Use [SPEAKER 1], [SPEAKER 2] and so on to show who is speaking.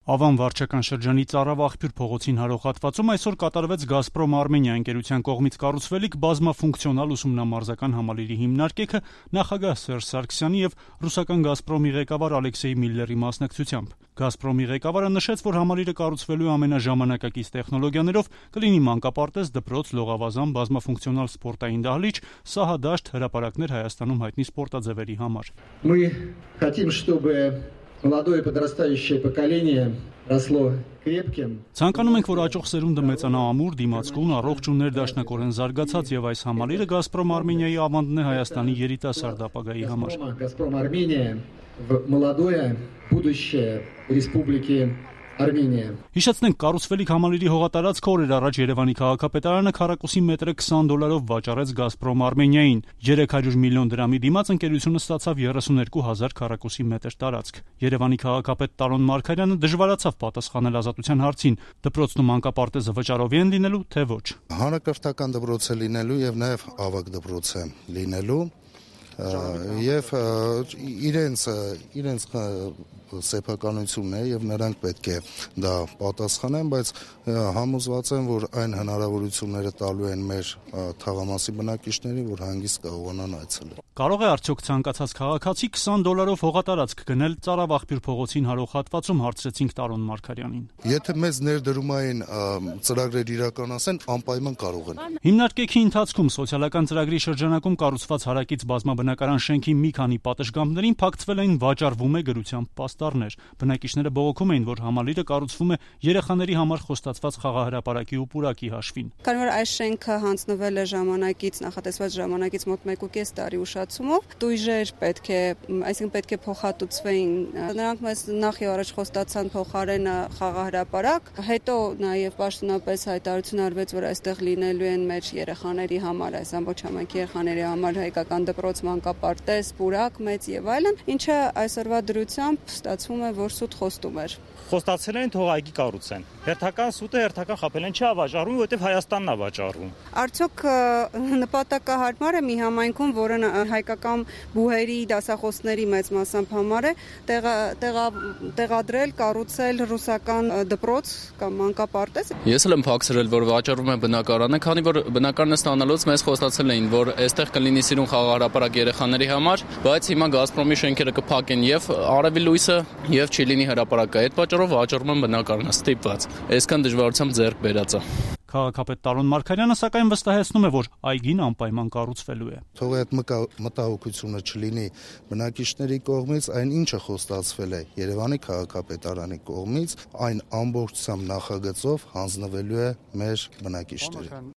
[SPEAKER 1] Ավան վարչական շրջանի Ծառավաղբյուր փողոցին հարող հատվածում այսօր կատարվեց «Գազպրոմ Արմենիա» ընկերության կողմից կառուցվելիք բազմաֆունկցիոնալ ուսումնամարզական համալիրի հիմնարկեքը նախագահ Սերժ Սարգսյանի եւ ռուսական «Գազպրոմի» ղեկավար Ալեքսեյ Միլլերի մասնակցությամբ։ «Գազպրոմի» ղեկավարը նշեց, որ համալիրը կառուցվելու ամենաժամանակակից տեխնոլոգիաներով կլինի մանկապարտեզ, դպրոց, լողավազան, բազմաֆունկցիոնալ սպորտային դահլիճ, սահադաշտ, հրապարակներ Հայաստանում հայտնի սպորտաձևերի համար։
[SPEAKER 2] Мы хотим, чтобы молодое подрастающее поколение росло крепким.
[SPEAKER 1] Ցանկանում ենք, որ աճող սերունդը մեծանա ամուր, դիմացկուն, առողջ ու ներդաշնակորեն զարգացած եւ այս համալիրը «Գազպրոմ Արմենիայի» ավանդն է Հայաստանի երիտասարդ ապագայի համար։
[SPEAKER 2] «Газпром Армения» в молодое будущее Республики Արմենիա։
[SPEAKER 1] Հիշեցնենք, կառուցվելիք համալիրի հողատարածքը օրեր առաջ Երևանի քաղաքապետարանը քառակուսի մետրը $20 վաճառեց «Գազպրոմ Արմենիային»։ 300 միլիոն դրամի դիմաց ընկերությունը ստացավ 32,000 քառակուսի մետր տարածք։ Երևանի քաղաքապետ Տարոն Մարգարյանը դժվարացավ պատասխանել Ազատության հարցին՝ դպրոցն ու մանկապարտեզը վճարովի են լինելու, թե ոչ։
[SPEAKER 3] Հանրակրթական դպրոց է լինելու եւ նաեւ ավագ դպրոց է լինելու եւ իրենց սեփականությունն է եւ նրանք պետք է դա պատասխանեն, բայց համոզված եմ, որ այն հնարավորությունները տալու են մեր թաղամասի բնակիչներին, որ հանգիստ կարողանան այցելել։
[SPEAKER 1] Կարող է արդյոք ցանկացած քաղաքացի $20 հողատարածք գնել Ծառավաղբյուր փողոցին հարող հատվածում, հարցրեցինք Տարոն Մարգարյանին։
[SPEAKER 3] Եթե մեծ ներդրումային ծրագրեր իրականացեն, անպայման կարող են։
[SPEAKER 1] Հիմնարկեքի ընթացքում սոցիալական ծրագրի շրջանակում կառուցված հարակից բազմաբնակարան շենքի մի քանի պատշգամբներին փակցվել էին վաճառվում է գրությամբ պաստառներ։ Բնակիչները բողոքում էին, որ համալիրը կառուցվում է երեխաների համար խոստացված խաղահրապարակի ու պուրակի հաշվին։
[SPEAKER 4] Քանի որ այս շենքը հանձնվել է ժամանակից, նախատեսված ժամանակից մոտ 1.5 տարի ուշացումով, տույժեր այսինքն պետք է փոխհատուցվեին։ Նրանք մեզ նախ եւ առաջ խոստացան փոխարենը խաղահրապարակ, հետո նաեւ պաշտոնապես հայտարարություն արվեց, որ այստեղ լինելու են մեր երեխաների համար, այս ամբողջ համայնքի երեխաների համար հայկական դպրոց, մանկապարտեզ, պուրակ մեծ եւ այլն, ինչը այսօրվա դրությամբ ստացվում է, որ սուտ խոստում էր։
[SPEAKER 5] Խոստացել են թող այգի կառուցեն։ Հերթական սուտը հերթական խաբելեն չի վաճառում, որովհետև Հայաստանն է վաճառում։
[SPEAKER 4] Արդյոք նպատակահարմար է մի համայնքում, որը հայկական բուհերի, դասախոսների մեծ մասամբ համար է, տեղադրել, կառուցել ռուսական դպրոց կամ մանկապարտեզ։
[SPEAKER 6] Ես էլ եմ փակցրել, որ վաճառվում է բնակարանը, քանի որ բնակարանը ստանալուց մեզ խոստացել էին, որ այստեղ կլինի սիրուն խաղահրապարակ երեխաների համար, բայց հիմա Գազպրոմի շենքերը կփակեն եւ արևի լույսը եւ չի լինի հրապարակը։ Այդ պատճառով վաճառում են բնակարանը ստիպված։ Այսքան դժվարությամբ ձեռք բերած է։
[SPEAKER 1] Քաղաքապետ Տարոն Մարգարյանը սակայն վստահեցնում է, որ այգին անպայման կառուցվելու է։
[SPEAKER 3] Թող այդ մտահոգությունը չլինի բնակիչների կողմից, այն ինչը խոստացվել է Երևանի քաղաքապետարանի կողմից, այն ամբողջությամբ նախագծով հանձնվելու է մեր բնակիչներին։